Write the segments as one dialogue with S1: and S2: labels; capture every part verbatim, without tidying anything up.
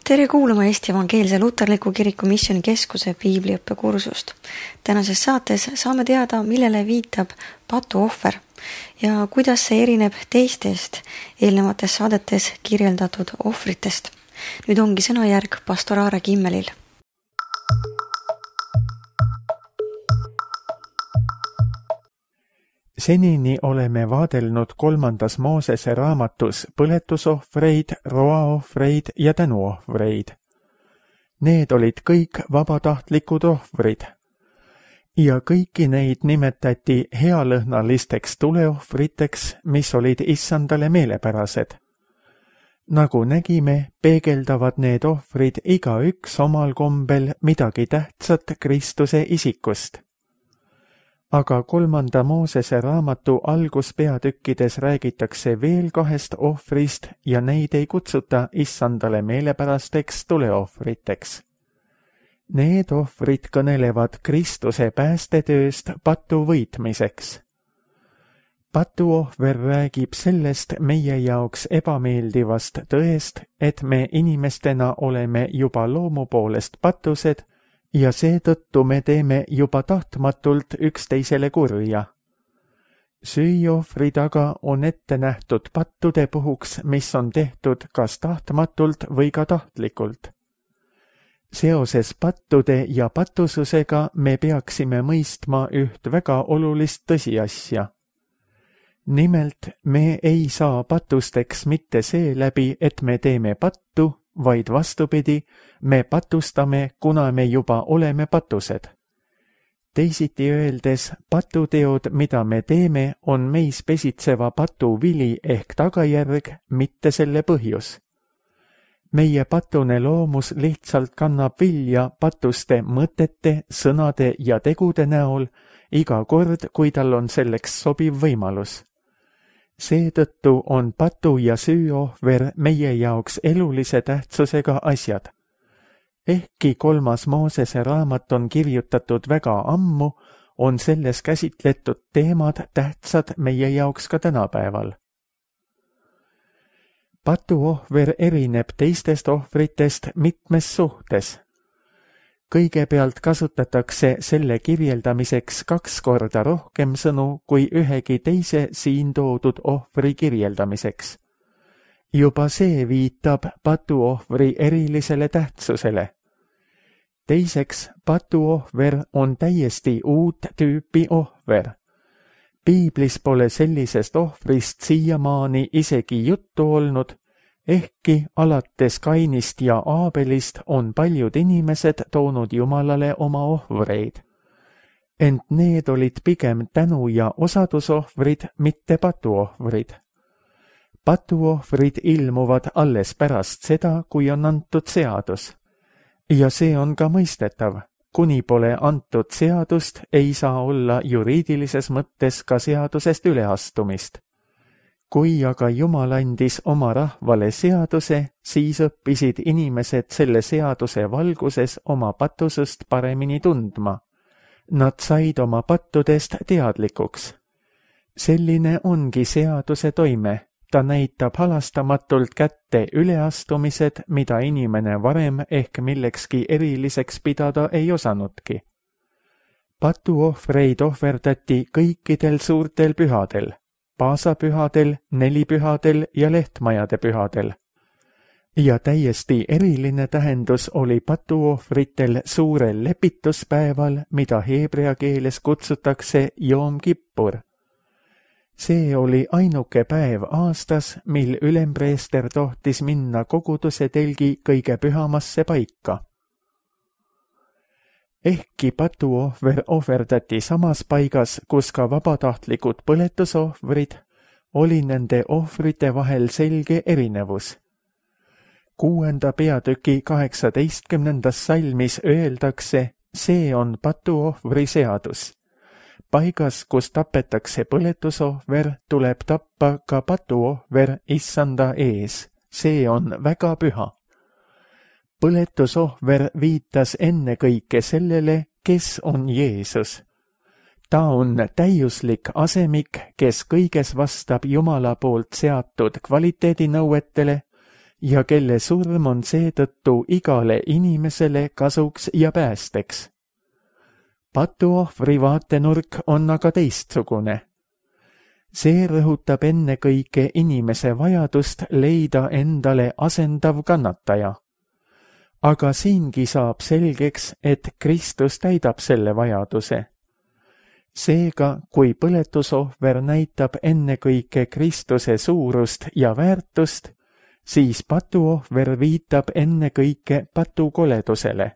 S1: Tere kuulama Eesti Evangeelse Luterliku Kiriku Missioonikeskuse piibliõppekursust. Tänases saates saame teada, millele viitab patuohver ja kuidas see erineb teistest eelnevates saadetes kirjeldatud ohvritest. Nüüd ongi sõnajärg pastor Aare Kimmelil.
S2: Senini oleme vaadelnud kolmandas Moosese raamatus põletusohvreid, roaohvreid ja tänuohvreid. Need olid kõik vabatahtlikud ohvrid. Ja kõiki neid nimetati healõhnalisteks tuleohvriteks, mis olid issandale meelepärased. Nagu nägime, peegeldavad need ohvrid igaüks omal kombel midagi tähtsat Kristuse isikust. Aga kolmanda Moosese raamatu alguspeatükkides räägitakse veel kahest ohvrist ja neid ei kutsuta issandale meelepärasteks tuleohvriteks. Need ohvrid kõnelevad Kristuse päästetööst patu võitmiseks. Patuohver räägib sellest meie jaoks ebameeldivast tõest, et me inimestena oleme juba loomu poolest patused, ja seetõttu me teeme juba tahtmatult üksteisele kurja. Süüohvri taga on ette nähtud pattude puhuks, mis on tehtud kas tahtmatult või ka tahtlikult. Seoses pattude ja patususega me peaksime mõistma üht väga olulist tõsiasja. Nimelt, me ei saa patusteks mitte seeläbi, et me teeme pattu, vaid vastupidi, me patustame, kuna me juba oleme patused. Teisiti öeldes, patuteod, mida me teeme, on meis pesitseva patu vili ehk tagajärg, mitte selle põhjus. Meie patune loomus lihtsalt kannab vilja patuste mõtete, sõnade ja tegude näol iga kord, kui tal on selleks sobiv võimalus. Seetõttu on patu ja süüohver meie jaoks elulise tähtsusega asjad. Ehkki kolmas Moosese raamat on kirjutatud väga ammu, on selles käsitletud teemad tähtsad meie jaoks ka tänapäeval. Patuohver erineb teistest ohvritest mitmes suhtes. Kõigepealt kasutatakse selle kirjeldamiseks kaks korda rohkem sõnu kui ühegi teise siin toodud ohvri kirjeldamiseks. Juba see viitab patuohvri erilisele tähtsusele. Teiseks, patuohver on täiesti uut tüüpi ohver. Piiblis pole sellisest ohvrist siiamaani isegi juttu olnud, ehkki alates Kainist ja Aabelist on paljud inimesed toonud Jumalale oma ohvreid. Ent need olid pigem tänu- ja osadusohvrid, mitte patuohvrid. Patuohvrid ilmuvad alles pärast seda, kui on antud seadus. Ja see on ka mõistetav. Kuni pole antud seadust, ei saa olla juriidilises mõttes ka seadusest üleastumist. Kui aga Jumal andis oma rahvale seaduse, siis õppisid inimesed selle seaduse valguses oma patusust paremini tundma. Nad said oma pattudest teadlikuks. Selline ongi seaduse toime. Ta näitab halastamatult kätte üleastumised, mida inimene varem ehk millekski eriliseks pidada ei osanudki. Patuohvreid ohverdati kõikidel suurtel pühadel. Paasapühadel, nelipühadel ja lehtmajade pühadel. Ja täiesti eriline tähendus oli patuohvritel suurel lepituspäeval, mida heebrea keeles kutsutakse Joom Kippur. See oli ainuke päev aastas, mil ülempreester tohtis minna koguduse telgi kõige pühamasse paika. Ehkki patuohver ohverdati samas paigas, kus ka vabatahtlikud põletusohvrid, oli nende ohvrite vahel selge erinevus. Kuuenda peatüki kaheksateistkümnendas salmis öeldakse, see on patuohvri seadus. Paigas, kus tapetakse põletusohver, tuleb tappa ka patuohver issanda ees. See on väga püha. Põletusohver viitas ennekõike sellele, kes on Jeesus. Ta on täiuslik asemik, kes kõiges vastab Jumala poolt seatud kvaliteedinõuetele, ja kelle surm on seetõttu igale inimesele kasuks ja päästeks. Patuohvri vaatenurk on aga teistsugune. See rõhutab ennekõike inimese vajadust leida endale asendav kannataja. Aga siingi saab selgeks, et Kristus täidab selle vajaduse. Seega, kui põletusohver näitab ennekõike Kristuse suurust ja väärtust, siis patuohver viitab ennekõike patukoledusele.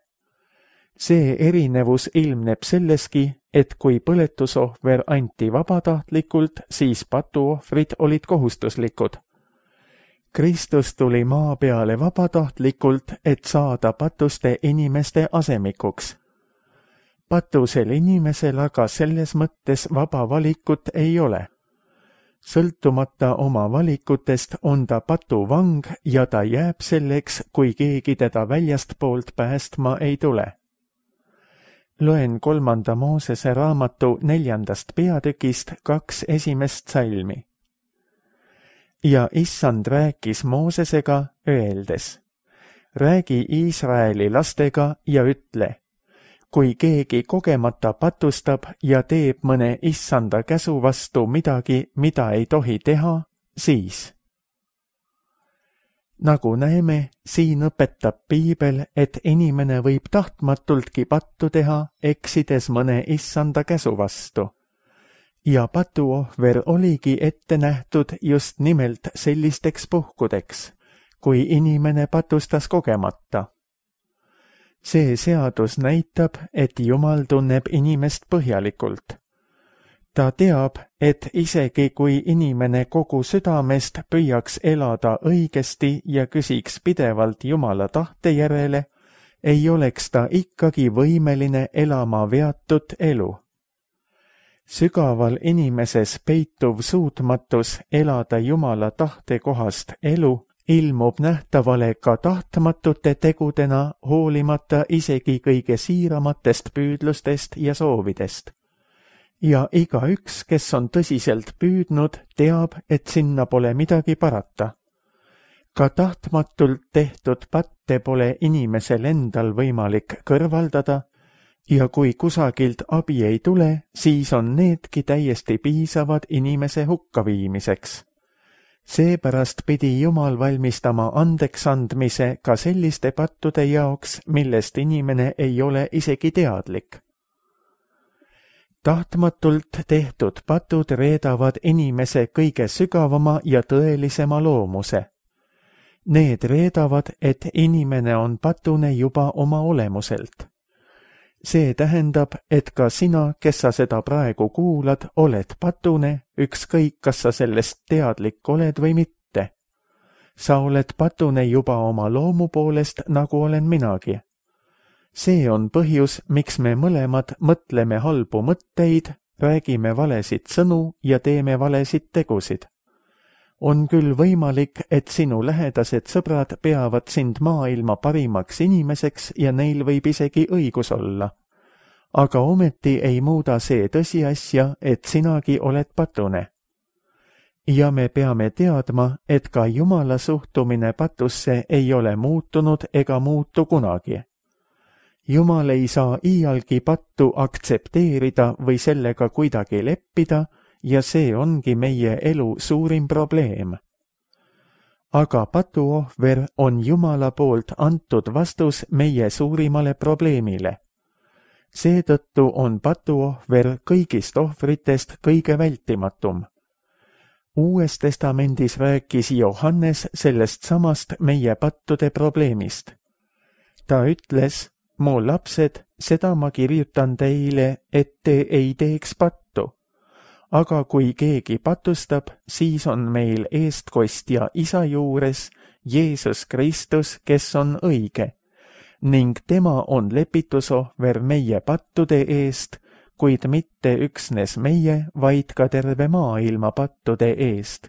S2: See erinevus ilmneb selleski, et kui põletusohver anti vabatahtlikult, siis patuohvrid olid kohustuslikud. Kristus tuli maa peale vabatahtlikult, et saada patuste inimeste asemikuks. Patusel inimesel aga selles mõttes vaba valikut ei ole. Sõltumata oma valikutest on ta patuvang ja ta jääb selleks, kui keegi teda väljastpoolt päästma ei tule. Loen kolmanda Moosese raamatu neljandast peatükist kaks esimest salmi. Ja issand rääkis Moosesega öeldes, räägi Iisraeli lastega ja ütle, kui keegi kogemata patustab ja teeb mõne issanda käsu vastu midagi, mida ei tohi teha, siis. Nagu näeme, siin õpetab piibel, et inimene võib tahtmatultki pattu teha, eksides mõne issanda käsu vastu. Ja patuohver oligi ette nähtud just nimelt sellisteks puhkudeks, kui inimene patustas kogemata. See seadus näitab, et Jumal tunneb inimest põhjalikult. Ta teab, et isegi kui inimene kogu südamest püüaks elada õigesti ja küsiks pidevalt Jumala tahte järele, ei oleks ta ikkagi võimeline elama veatut elu. Sügaval inimeses peituv suutmatus elada Jumala tahte kohast elu ilmub nähtavale ka tahtmatute tegudena, hoolimata isegi kõige siiramatest püüdlustest ja soovidest. Ja igaüks, kes on tõsiselt püüdnud, teab, et sinna pole midagi parata. Ka tahtmatult tehtud patte pole inimesel endal võimalik kõrvaldada ja kui kusagilt abi ei tule, siis on needki täiesti piisavad inimese hukkaviimiseks. Seepärast pidi Jumal valmistama andeks andmise ka selliste pattude jaoks, millest inimene ei ole isegi teadlik. Tahtmatult tehtud patud reedavad inimese kõige sügavama ja tõelisema loomuse. Need reedavad, et inimene on patune juba oma olemuselt. See tähendab, et ka sina, kes sa seda praegu kuulad, oled patune, ükskõik kas sa sellest teadlik oled või mitte. Sa oled patune juba oma loomu poolest, nagu olen minagi. See on põhjus, miks me mõlemad mõtleme halbu mõtteid, räägime valesid sõnu ja teeme valesid tegusid. On küll võimalik, et sinu lähedased sõbrad peavad sind maailma parimaks inimeseks ja neil võib isegi õigus olla. Aga ometi ei muuda see tõsiasja, et sinagi oled patune. Ja me peame teadma, et ka Jumala suhtumine patusse ei ole muutunud ega muutu kunagi. Jumal ei saa iialgi pattu aktsepteerida või sellega kuidagi leppida ja see ongi meie elu suurim probleem. Aga patuohver on Jumala poolt antud vastus meie suurimale probleemile. Seetõttu on patuohver kõigist ohvritest kõige vältimatum. Uues testamendis rääkis Johannes sellest samast meie pattude probleemist. Ta ütles, mu lapsed, seda ma kirjutan teile, et te ei teeks pattu. Aga kui keegi patustab, siis on meil eestkostja Isa juures Jeesus Kristus, kes on õige, ning tema on lepitusohver meie pattude eest, kuid mitte üksnes meie, vaid ka terve maailma pattude eest.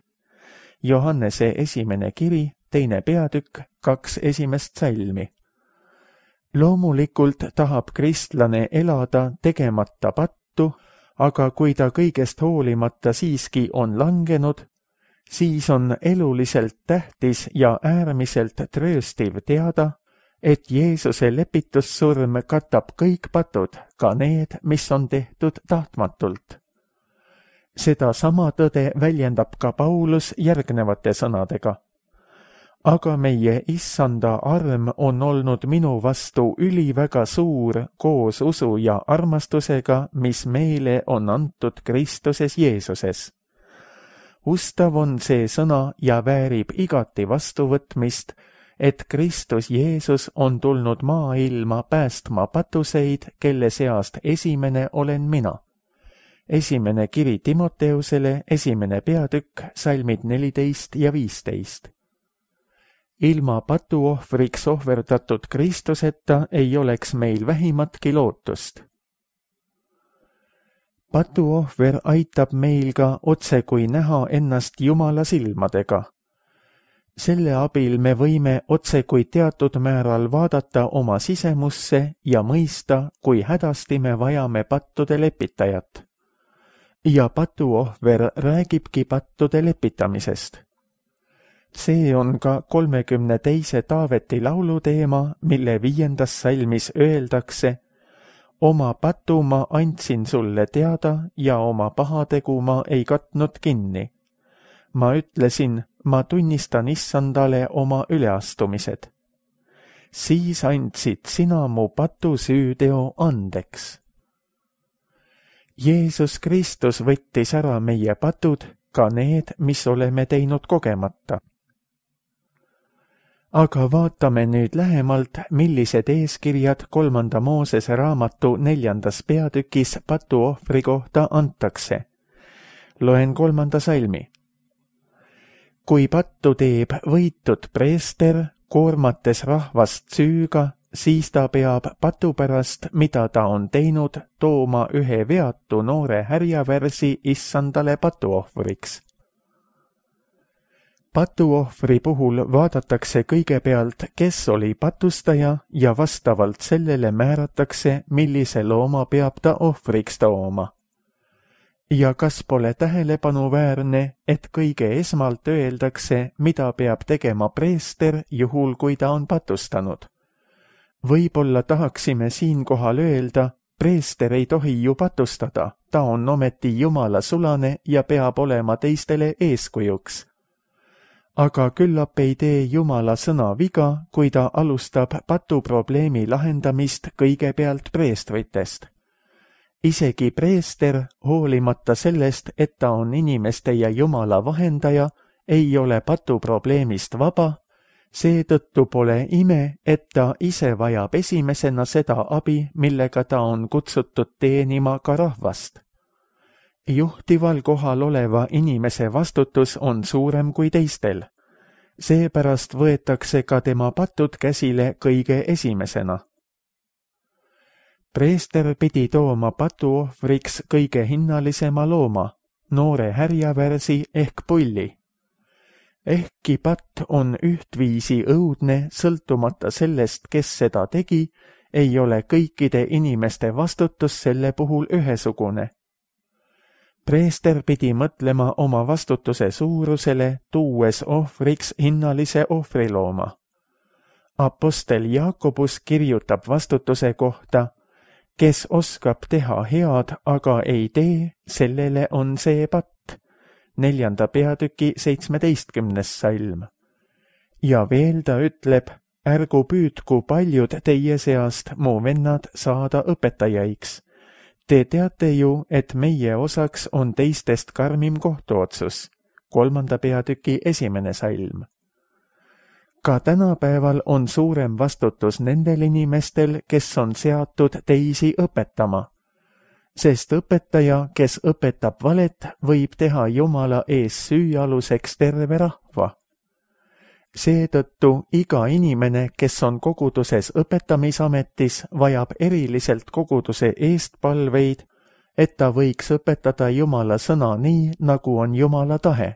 S2: Johannese esimene kiri, teine peatükk, kaks esimest salmi. Loomulikult tahab kristlane elada tegemata pattu, aga kui ta kõigest hoolimata siiski on langenud, siis on eluliselt tähtis ja äärmiselt trööstiv teada, et Jeesuse lepitussurm katab kõik patud, ka need, mis on tehtud tahtmatult. Seda sama tõde väljendab ka Paulus järgnevate sõnadega. Aga meie issanda arm on olnud minu vastu üliväga suur koos usu ja armastusega, mis meile on antud Kristuses Jeesuses. Ustav on see sõna ja väärib igati vastuvõtmist, et Kristus Jeesus on tulnud maailma päästma patuseid, kelle seast esimene olen mina. Esimene kiri Timoteusele, esimene peatükk, salmid neliteist ja viisteist. Ilma patuohvriks ohverdatud Kristuseta ei oleks meil vähimatki lootust. Patuohver aitab meil ka otsekui näha ennast Jumala silmadega. Selle abil me võime otsekui teatud määral vaadata oma sisemusse ja mõista, kui hädasti me vajame pattude lepitajat. Ja patuohver räägibki pattude lepitamisest. See on ka kolmekümne teise Taaveti laulu teema, mille viiendas salmis öeldakse: oma patu ma andsin sulle teada ja oma pahategu ma ei katnud kinni. Ma ütlesin, ma tunnistan issandale oma üleastumised. Siis andsid sina mu patu süüteo andeks. Jeesus Kristus võttis ära meie patud, ka need, mis oleme teinud kogemata. Aga vaatame nüüd lähemalt, millised eeskirjad kolmanda Moosese raamatu neljandas peatükis patuohvri kohta antakse. Loen kolmanda salmi. Kui pattu teeb võitud preester, koormates rahvast süüga, siis ta peab patu pärast, mida ta on teinud, tooma ühe veatu noore härjavärsi issandale patuohvriks. Patuohvri puhul vaadatakse kõigepealt, kes oli patustaja ja vastavalt sellele määratakse, millise looma peab ta ohvriks tooma. Ja kas pole tähelepanuväärne, et kõige esmalt öeldakse, mida peab tegema preester juhul, kui ta on patustanud? Võib-olla tahaksime siinkohal öelda, preester ei tohi ju patustada, ta on ometi Jumala sulane ja peab olema teistele eeskujuks. Aga küllap ei tee Jumala sõna viga, kui ta alustab patuprobleemi lahendamist kõigepealt preestritest. Isegi preester, hoolimata sellest, et ta on inimeste ja Jumala vahendaja, ei ole patuprobleemist vaba, seetõttu pole ime, et ta ise vajab esimesena seda abi, millega ta on kutsutud teenima ka rahvast. Juhtival kohal oleva inimese vastutus on suurem kui teistel. Seepärast võetakse ka tema patud käsile kõige esimesena. Preester pidi tooma patuohvriks kõige hinnalisema looma, noore härjavärsi ehk pulli. Ehkki patt on ühtviisi õudne, sõltumata sellest, kes seda tegi, ei ole kõikide inimeste vastutus selle puhul ühesugune. Preester pidi mõtlema oma vastutuse suurusele, tuues ohvriks hinnalise ohvrilooma. Apostel Jaakobus kirjutab vastutuse kohta: kes oskab teha head, aga ei tee, sellele on see patt. Neljanda peatüki seitsmeteistkümnes salm. Ja veel ta ütleb: ärgu püüdku paljud teie seast, mu vennad, saada õpetajaiks. Te teate ju, et meie osaks on teistest karmim kohtuotsus. Kolmanda peatüki esimene salm. Ka tänapäeval on suurem vastutus nendel inimestel, kes on seatud teisi õpetama. Sest õpetaja, kes õpetab valet, võib teha Jumala ees süüaluseks terve rahva. Seetõttu iga inimene, kes on koguduses õpetamisametis, vajab eriliselt koguduse eestpalveid, et ta võiks õpetada Jumala sõna nii, nagu on Jumala tahe.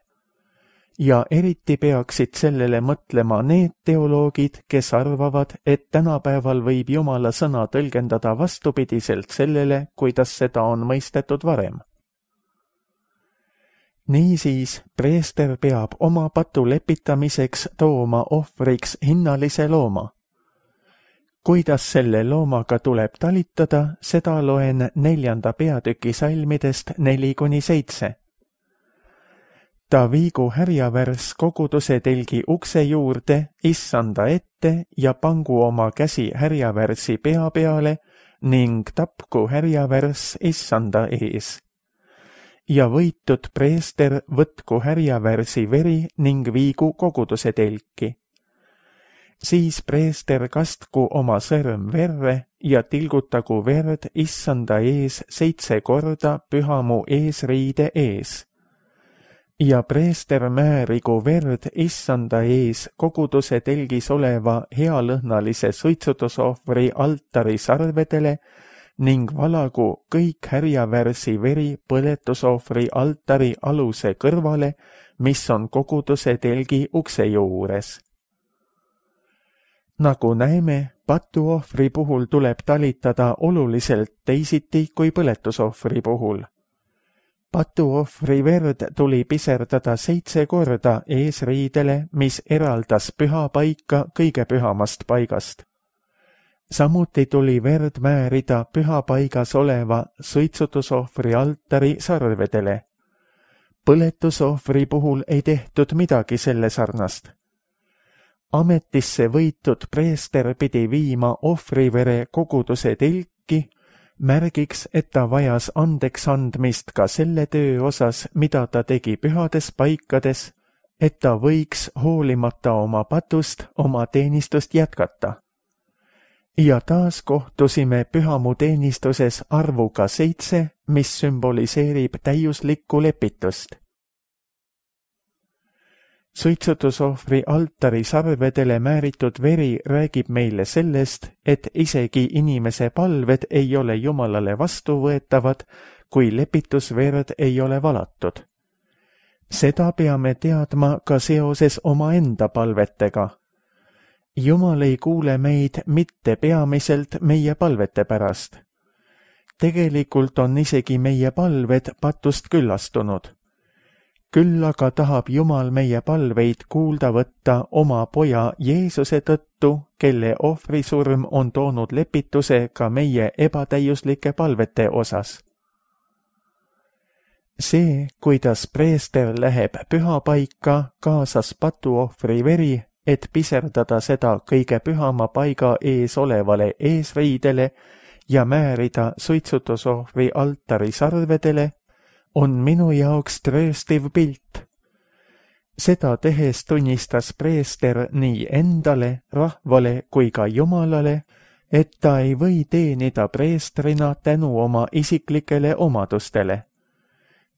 S2: Ja eriti peaksid sellele mõtlema need teoloogid, kes arvavad, et tänapäeval võib Jumala sõna tõlgendada vastupidiselt sellele, kuidas seda on mõistetud varem. niisiis preester peab oma patu lepitamiseks tooma ohvriks hinnalise looma. Kuidas selle loomaga tuleb talitada, seda loen neljanda peatüki salmidest neli kuni seitse. Ta viigu härjavärs koguduse telgi ukse juurde, issanda ette ja pangu oma käsi härjavärsi pea peale ning tapku härjavärs issanda ees. Ja võitud preester võtku härjavärsi veri ning viigu koguduse telki. Siis preester kastku oma sõrm verre ja tilgutagu verd issanda ees seitse korda pühamu eesriide ees. Ja preester määrigu verd issanda ees koguduse telgis oleva healõhnalise suitsutusohvri altari sarvedele ning valagu kõik härjavärsi veri põletusohvri altari aluse kõrvale, mis on koguduse telgi ukse juures. Nagu näeme, patuohvri puhul tuleb talitada oluliselt teisiti kui põletusohvri puhul. Patuohvri verd tuli piserdada seitse korda eesriidele, mis eraldas püha paika kõige pühamast paigast. Samuti tuli verd määrida püha paigas oleva suitsutusohvri altari sarvedele. Põletusohvri puhul ei tehtud midagi selle sarnast. Ametisse võitud preester pidi viima ohvrivere koguduse telki, märgiks, et ta vajas andeks andmist ka selle töö osas, mida ta tegi pühades paikades, et ta võiks hoolimata oma patust oma teenistust jätkata. Ja taas kohtusime pühamu teenistuses arvuga seitse, mis sümboliseerib täiuslikku lepitust. Suitsutusohvri altari sarvedele määritud veri räägib meile sellest, et isegi inimese palved ei ole Jumalale vastuvõetavad, kui lepitusverd ei ole valatud. Seda peame teadma ka seoses omaenda palvetega. Jumal ei kuule meid mitte peamiselt meie palvete pärast. Tegelikult on isegi meie palved patust küllastunud. Küll aga tahab Jumal meie palveid kuulda võtta oma poja Jeesuse tõttu, kelle ohvrisurm on toonud lepituse ka meie ebatäiuslike palvete osas. See, kuidas preester läheb pühapaika, kaasas patuohvri veri, et piserdada seda kõige pühama paiga ees olevale eesriidele ja määrida suitsutusohvri altari sarvedele, on minu jaoks trööstiv pilt. Seda tehes tunnistas preester nii endale, rahvale kui ka Jumalale, et ta ei või teenida preestrina tänu oma isiklikele omadustele.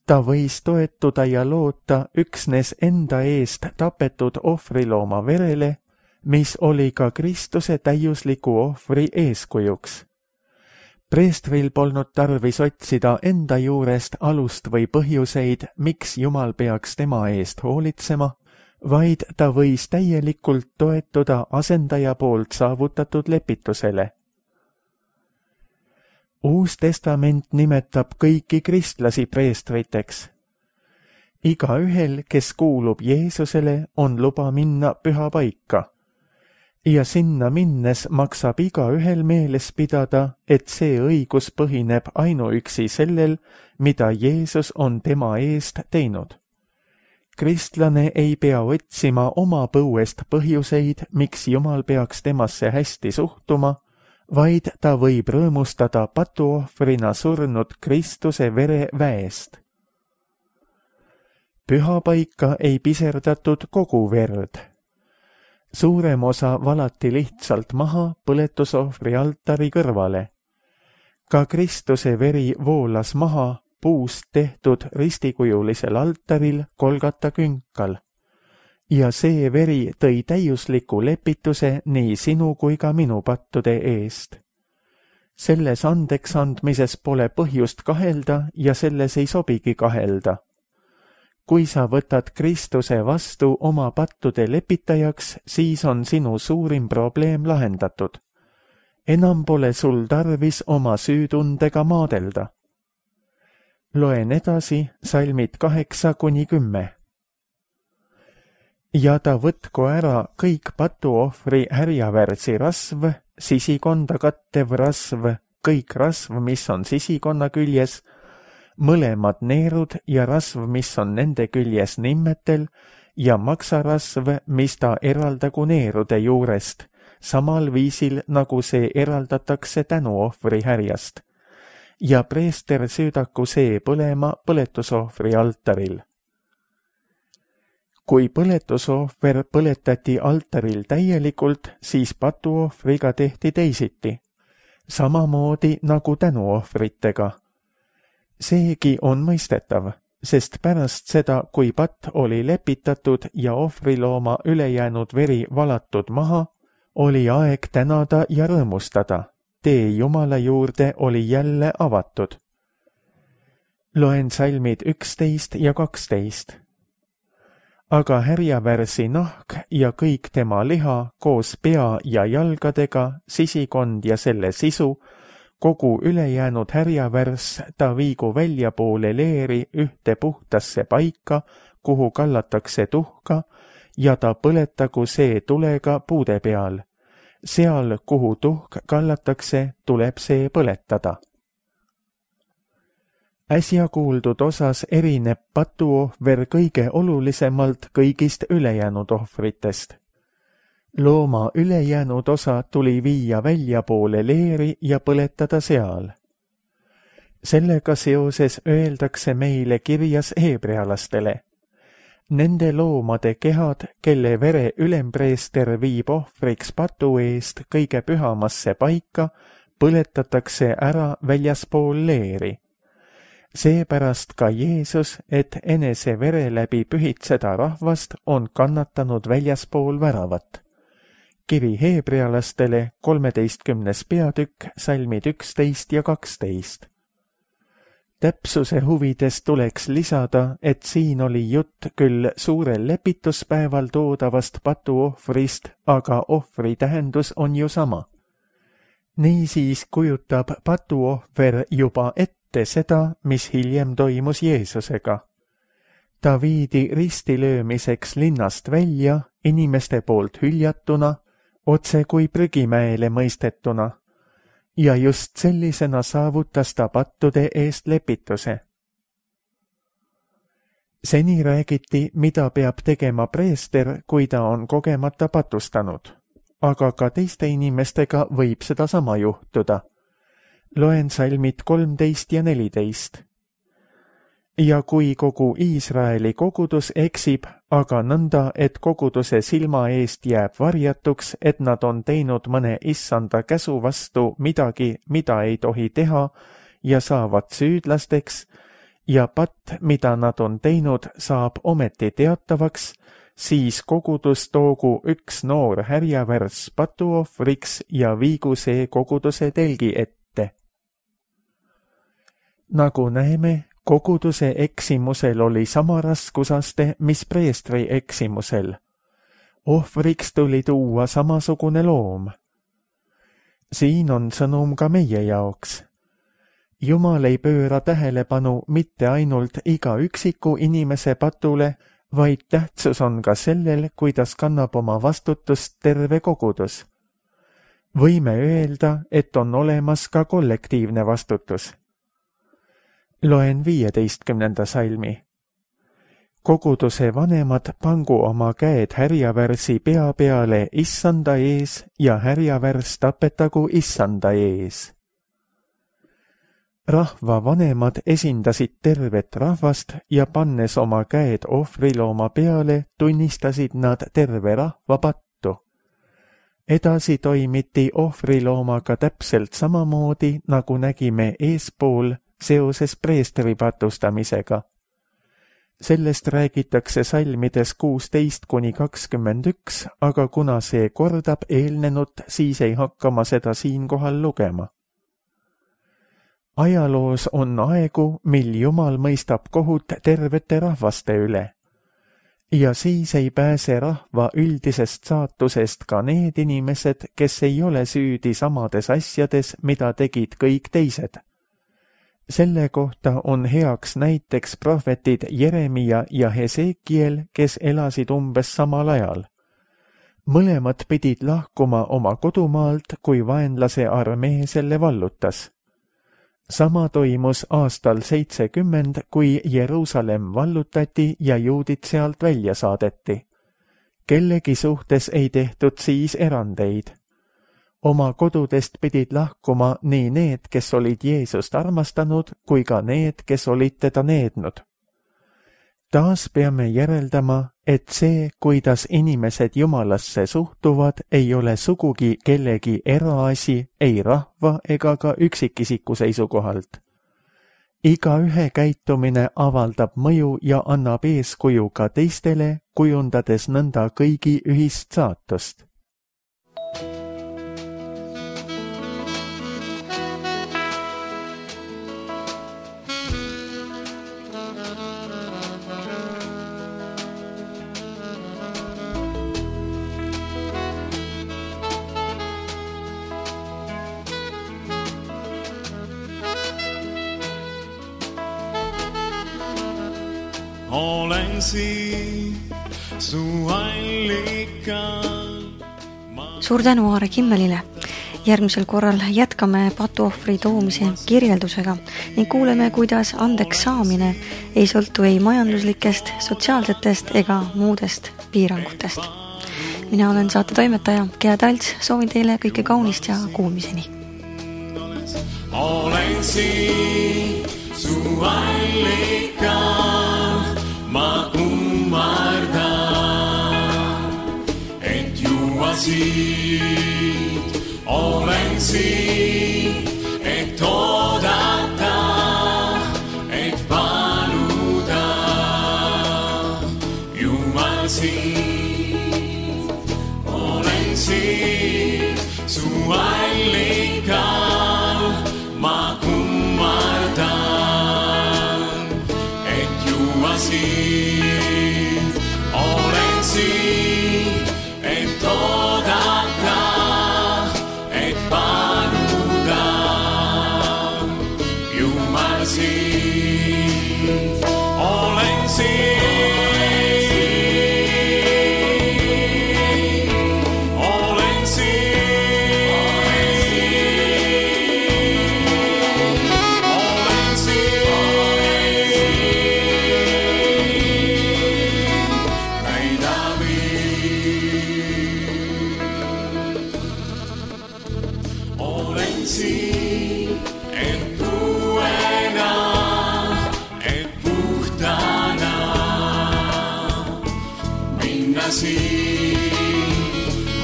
S2: Ta võis toetuda ja loota üksnes enda eest tapetud ohvrilooma verele, mis oli ka Kristuse täiusliku ohvri eeskujuks. Preestril polnud tarvis otsida enda juurest alust või põhjuseid, miks Jumal peaks tema eest hoolitsema, vaid ta võis täielikult toetuda asendaja poolt saavutatud lepitusele. Uus testament nimetab kõiki kristlasi preestriteks. Igaühel, kes kuulub Jeesusele, on luba minna püha paika. Ja sinna minnes maksab igaühel meeles pidada, et see õigus põhineb ainuüksi sellel, mida Jeesus on tema eest teinud. Kristlane ei pea otsima oma põuest põhjuseid, miks Jumal peaks temasse hästi suhtuma, vaid ta võib rõõmustada patuohvrina surnud Kristuse vere väest. Pühapaika ei piserdatud kogu verd. Suurem osa valati lihtsalt maha põletusohvri altari kõrvale. Ka Kristuse veri voolas maha puust tehtud ristikujulisel altaril Golgata künkal. Ja see veri tõi täiusliku lepituse nii sinu kui ka minu pattude eest. Selles andeks andmises pole põhjust kahelda ja selles ei sobigi kahelda. Kui sa võtad Kristuse vastu oma pattude lepitajaks, siis on sinu suurim probleem lahendatud. Enam pole sul tarvis oma süütundega maadelda. Loen edasi salmid kaheksa kuni kümme. Ja ta võtku ära kõik patuohvri härjavärsi rasv, sisikonda kattev rasv, kõik rasv, mis on sisikonna küljes, mõlemad neerud ja rasv, mis on nende küljes nimmetel, ja maksarasv, mis ta eraldagu neerude juurest, samal viisil, nagu see eraldatakse tänuohvri härjast. Ja preester süüdaku see põlema põletusohvri altaril. Kui põletusohver põletati altaril täielikult, siis patuohvriga tehti teisiti, samamoodi nagu tänuohvritega. Seegi on mõistetav, sest pärast seda, kui patt oli lepitatud ja ohvrilooma ülejäänud veri valatud maha, oli aeg tänada ja rõõmustada. Tee Jumala juurde oli jälle avatud. Loen salmid üksteist ja kaksteist. Aga härjavärsi nahk ja kõik tema liha koos pea ja jalgadega, sisikond ja selle sisu, kogu ülejäänud härjavärs ta viigu väljapoole leeri ühte puhtasse paika, kuhu kallatakse tuhka, ja ta põletagu see tulega puude peal. Seal, kuhu tuhk kallatakse, tuleb see põletada. Äsja kuuldud osas erineb patuohver kõige olulisemalt kõigist ülejäänud ohvritest. Looma ülejäänud osa tuli viia väljapoole leeri ja põletada seal. Sellega seoses öeldakse meile kirjas heebrealastele. Nende loomade kehad, kelle vere ülempreester viib ohvriks patu eest kõige pühamasse paika, põletatakse ära väljaspool leeri. Seepärast ka Jeesus, et enese vere läbi pühitseda rahvast, on kannatanud väljaspool väravat. Kiri heebrealastele kolmeteistkümnes peatükk, salmid üksteist ja kaksteist. Täpsuse huvides tuleks lisada, et siin oli jutt küll suurel lepituspäeval toodavast patuohvrist, aga ohvri tähendus on ju sama. Niisiis kujutab patuohver juba ette seda, mis hiljem toimus Jeesusega. Ta viidi ristilöömiseks linnast välja, inimeste poolt hüljatuna, otse kui prügimäele mõistetuna. Ja just sellisena saavutas ta pattude eest lepituse. Seni räägiti, mida peab tegema preester, kui ta on kogemata patustanud. Aga ka teiste inimestega võib seda sama juhtuda. Loen salmid kolmteist ja neliteist. Ja kui kogu Iisraeli kogudus eksib, aga nõnda, et koguduse silma eest jääb varjatuks, et nad on teinud mõne issanda käsu vastu midagi, mida ei tohi teha, ja saavad süüdlasteks, ja patt, mida nad on teinud, saab ometi teatavaks, siis kogudus toogu üks noor härjavärs patuohvriks ja viigu see koguduse telgi ette. Nagu näeme, koguduse eksimusel oli sama raskusaste, mis preestri eksimusel. Ohvriks tuli tuua samasugune loom. Siin on sõnum ka meie jaoks. Jumal ei pööra tähelepanu mitte ainult iga üksiku inimese patule, vaid tähtsus on ka sellel, kuidas kannab oma vastutust terve kogudus. Võime öelda, et on olemas ka kollektiivne vastutus. Loen viieteistkümnenda salmi. Koguduse vanemad pangu oma käed härjavärsi pea peale issanda ees ja härjavärs tapetagu issanda ees. Rahva vanemad esindasid tervet rahvast ja pannes oma käed ohvrilooma peale, tunnistasid nad terve rahva pattu. Edasi toimiti ohvriloomaga täpselt samamoodi, nagu nägime eespool, seoses preestri patustamisega. Sellest räägitakse salmides kuusteist kuni kakskümmend üks, aga kuna see kordab eelnenut, siis ei hakka ma seda siinkohal lugema. Ajaloos on aegu, mil Jumal mõistab kohut tervete rahvaste üle. Ja siis ei pääse rahva üldisest saatusest ka need inimesed, kes ei ole süüdi samades asjades, mida tegid kõik teised. Selle kohta on heaks näiteks prohvetid Jeremia ja Hesekiel, kes elasid umbes samal ajal. Mõlemad pidid lahkuma oma kodumaalt, kui vaenlase armee selle vallutas. Sama toimus aastal seitsekümmend, kui Jeruusalemm vallutati ja juudid sealt välja saadeti. Kellegi suhtes ei tehtud siis erandeid. Oma kodudest pidid lahkuma nii need, kes olid Jeesust armastanud, kui ka need, kes olid teda neednud. Taas peame järeldama, et see, kuidas inimesed Jumalasse suhtuvad, ei ole sugugi kellegi eraasi, ei rahva ega ka üksikisiku seisukohalt. Igaühe käitumine avaldab mõju ja annab eeskuju ka teistele, kujundades nõnda kõigi ühist saatust.
S3: Olen siin su allikal.
S1: Suur tänu Aare Kimmelile. Järgmisel korral jätkame patuohvri toomise kirjeldusega ning kuuleme, kuidas andeks saamine ei sõltu ei majanduslikest, sotsiaalsetest ega muudest piirangutest. Mina olen saate toimetaja Gea Talts, soovin teile kõike kaunist ja kuulmiseni.
S3: Olen siin su allikal, ma kummardan, et juua siit. Olen siin, et oodata, et paluda, Jumal siit. Olen siin su allikal, ma kummardan, et juua siit. Olen siin, et oodata, et paluda, Jumal siit. Olen siin.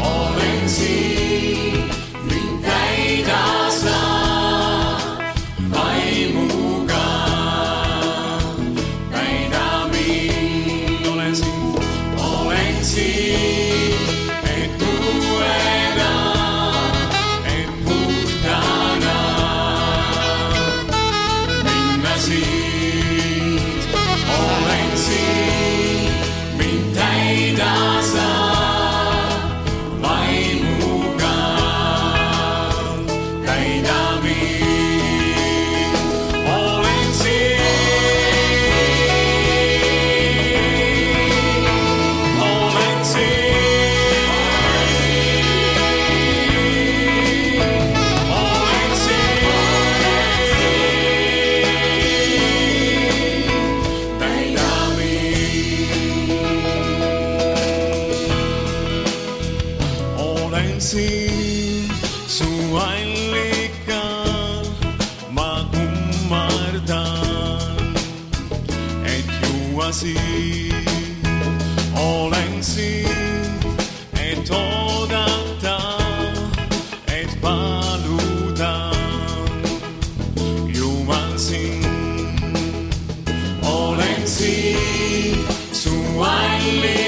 S3: Olen siin, mind täida sa vaimuga, täida mind. Olen siin, olen siin, et uuena, et puhtana minna siit. Olen siin, mind täida sa vaimuga, täida mind. Olen siin, olen siin, olen siin, täida mind. Olen siin su allikal, ma kummardan, et juua siit. Olen siin, et oodata, et paluda, Jumal siin. Olen siin su allikal,